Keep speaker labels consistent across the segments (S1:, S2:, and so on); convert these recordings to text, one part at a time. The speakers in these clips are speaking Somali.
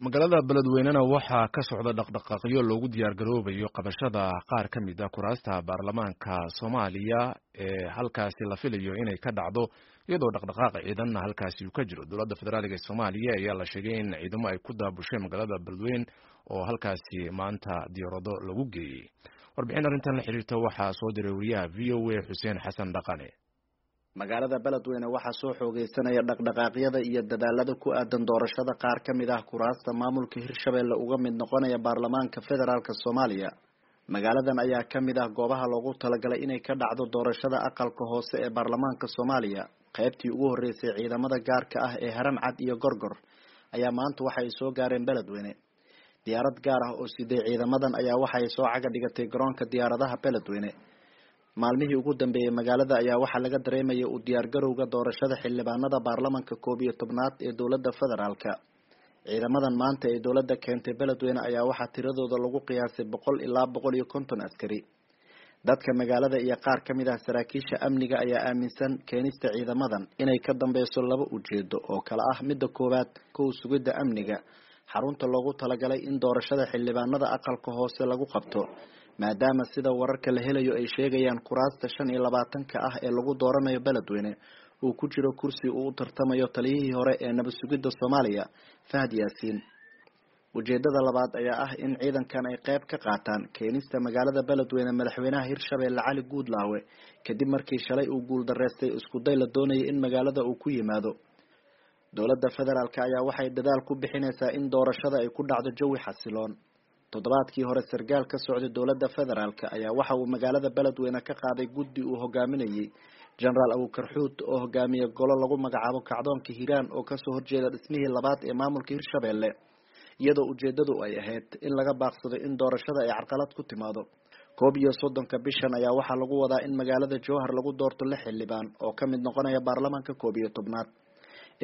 S1: Magaalada Beledweynena waxaa ka socda dhaqdhaqaaqyo loogu diyaargaroobayo qabashada qaar ka mid a kuraasta baarlamaanka Soomaaliya ee halkaasi la filayo inay ka dhacdo, iyadoo dhaqdhaqaaqa ciidanna halkaasi uu ka jiro. Dowladda federaaliga ee Soomaaliya ayaa la sheegay in ciidamo ay ku daabusheen magaalada Beledweyne oo halkaasi maanta diyaarado lagu geeyey. Warbixin arrintan la xiriirta waxaa soo diray wariyaha VOA Xuseen Xasan Dhaqane.
S2: Magaalada Beledweyne waxaa soo xoogeysanaya dhaqdhaqaaqyada iyo dadaalada ku aadan doorashada qaar ka mid ah kuraasta maamulka Hirshabelle uga mid noqonaya baarlamaanka federaalk Soomaaliya. Magaaladan ayaa ka mid ah goobaha loogu talagalay inay ka dhacdo doorashada aqalka hoose ee baarlamaanka Soomaaliya. Qaybtii ugu horeysay ciidamada gaarka ah ee Haramcad iyo Gorgor ayaa maanta waxa ay soo gaareen Beledweyne. Diyaarad gaar ah oo siday ciidamadan ayaa waxa ay soo caga dhigatay garoonka diyaaradaha Beledweyne. Maalmihii ugu dambeeyay magaalada ayaa waxaa laga dareemayay u diyaargarowga doorashada xildhibaanada baarlamaanka 11aad ee dowladda federaalka. Ciidamadan maanta ee dowladda keentay Beledweyne ayaa waxaa tiradooda lagu qiyaasay 100 ilaa 150 askari. Dadka magaalada iyo qaar ka mid ah saraakiisha amniga ayaa aaminsan keenista ciidamadan inay ka dambeyso laba ujeedo oo kala ah: midda koowaad, kow sugidda amniga xarunta loogu talagalay in doorashada xildhibaanada aqalka hoose lagu qabto, maadaama sida wararka la helayo ay sheegayaan kuraasta 25-ka ah ee lagu dooranayo Beledweyne uu ku jiro kursi uu u tartamayo taliyihii hore ee nabad sugidda Soomaaliya Fahad Yaasiin. Ujeedada labaad ayaa ah in ciidankan ay qayb ka qaataan keenista magaalada Beledweyne madaxweynaha Hirshabelle Cali Guudlaawe, kadib markii shalay uu guuldareystay isku day la doonayay in magaalada uu ku yimaado. Dowladda federaalk ayaa waxay dadaal ku bixinaysaa in doorashada ay ku dhacdo jawi xasiloon. Toddobaadkii hore sargaal ka socday dowladda federaalk ayaa waxa uu magaalada Beledweyne ka qaaday guddi uu hogaaminayay Jenaraal Abuukar Xuud oo hogaamiya golo lagu magacaabo Kacdoonka Hiiraan oo kasoo horjeeda dhismihii labaad ee maamulka Hirshabelle, iyadoo ujeedadu ay ahayd in laga baaqsado in doorashada ay carqalad ku timaado. 31-ka bishan ayaa waxaa lagu wadaa in magaalada Jowhar lagu doorto 6 xildhibaan oo ka mid noqonaya baarlamaanka 11aad.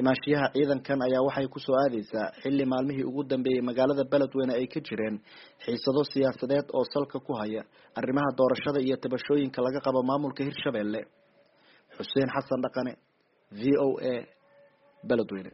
S2: Imaanshiyaha ciidankan ayaa waxay kusoo aadeysaa xilli maalmihii ugu dambeeyay magaalada Beledweyne ay ka jireen xiisado siyaasadeed oo salka ku haya arrimaha doorashada iyo tabashooyinka laga qabo maamulka Hirshabelle. Xuseen Xasan Dhaqane, VOA, Beledweyne.